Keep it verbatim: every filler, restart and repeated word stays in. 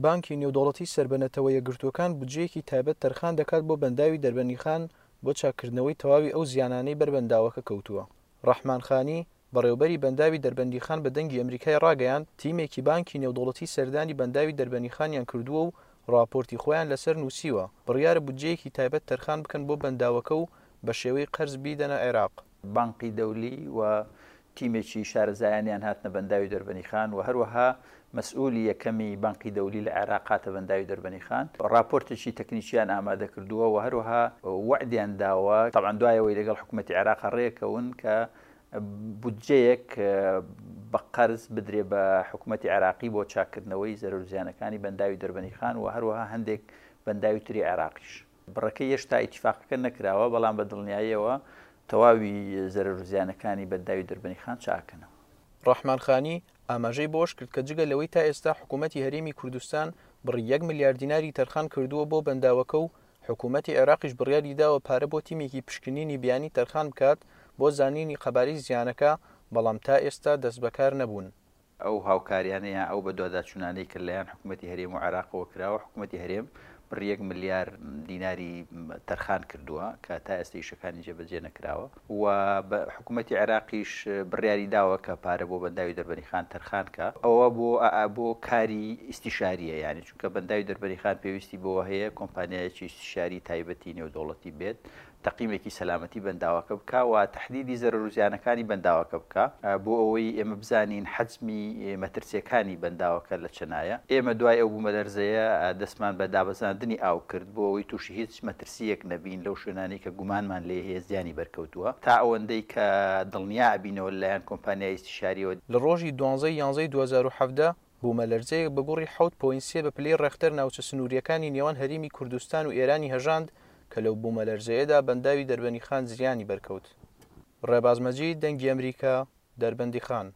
بانکی نێودەوڵەتی سەر بە نەتەوە یەکگرتووەکان بودجەیەکی تایبەت تەرخان دەکات بۆ بەنداوی دەربەندیخان بۆ چاککردنەوەی تەواوی ئەو زیانانەی بەر بەنداوەکە کەوتووە. ڕەحمان خانی، بەڕێوبەری بەنداوی دەربەندیخان بە دەنگی ئەمریکای ڕاگەیاند، تیمێکی بانکی نێودەوڵەتی سەردانی بەنداوی دەربەندیخانیان کردووە و ڕاپۆرتی خۆیان لەسەر نووسیوە، بڕیارە بودجەیەکی تایبەت تەرخان بکەن بۆ بەنداوەکە و بە شێوەی قەرز بیدەنە عێراق. بانقی دەولی و تیمێکی شارەزایانیان هاتنە بەنداوی دەربەندیخان و هەروەها مەسئولی یەکەمی بانقی دەولی لە عێراق هاتە بەنداوی دەربەندیخان، ڕاپۆرتێکی تەکنیکیان ئامادە کردووە و هەروەها وەعدیان داوە طبعا دوایەوەی لەگەڵ حکوومەتی عێراق ڕێکەون کە بودجەیەک بە قەرز بدرێ بە حکوومەتی عێراقی بۆ چاککردنەوەی زەرەر و زیانەکانی بەنداوی دەربەندیخان و هەروەها هەندێک بەنداوی تری عێراقیش. بڕەکەی هێشتا ئیتیفاقەکە نەکراوە، بەڵام بە دڵنیاییەوە تەواوی زەرەر و زیانەکانی بەنداوی دەربەندیخان چاکەنەوە. ڕەحمان خانی ئاماژەی بەوەش کرد کە جگە لەوەی تا ئێستا حکوومەتی هەرێمی کوردستان بڕی یەک ملیار دیناری تەرخان کردووە بۆ بەنداوەکە و حکوومەتی عێراقیش بڕیاری داوە پارە بۆ تیمێکی پشکنینی بیانی تەرخان بکات بۆ زانینی قەبارەی زیانەکە، بەڵام تا ئێستا دەست بەکار نەبوون. ئەو هاوکاریانە یان ئەو بەدواداچوونانەی کە لەلایەن حکوومەتی هەرێم و عێراقەوە کراوە، حکوومەتی هەرێم بڕی یەک ملیار دیناری تەرخان کردووە کە تا ئێستا ئیشەکانی جێبەجێ نەکراوە و حکوومەتی عێراقیش بڕیاری داوە کە پارە بۆ بەنداوی دەربەندیخان تەرخان کە ئەوە بۆ بۆ کاری ئیستیشاریە، یعنی چونکە بەنداوی دەربەندیخان پێویستی بۆ هەیە کۆمپانیایەکی ئیستیشاری تایبەتی نێودەوڵەتی بێت تەقیمێکی سەلامەتی بەنداوەکە بکە و تەحدیدی زەرەر و زیانەکانی بەنداوەکە بکە بۆ ئەوەی ئێمە بزانین حەجمی مەترسیەکانی بەنداوەکە لە چەنایە. ئێمە دوای ئەو بوومەلەرزەیە دەستمان بە دابەزاندنی ئاو کرد بۆ ئەوەی تووشی هیچ مەترسیەک نەبین لەو شوێنانەی کە گومانمان لێ هەیە زیانی بەرکەوتووە تا ئەوەندەی کە دڵنیا ئەبینەوە لەلایەن کۆمپانیای ئیستیشاریەوە. لە ڕۆژی دوانزەی یانزەی دوو هەزار و حەڤدە بوومەلەرزەیەک بە گوڕی حەوت پۆینت سێ بە پلەی ڕێختەر ناوچە سنووریەکانی نێوان هەرێمی کوردستان و ئێرانی هەژاند کە لەو بوومەلەرزەیەدا بەنداوی دەربەندیخان زیانی بەرکەوت. ڕێباز مەجید، دەنگی ئەمریکا، دەربەندیخان.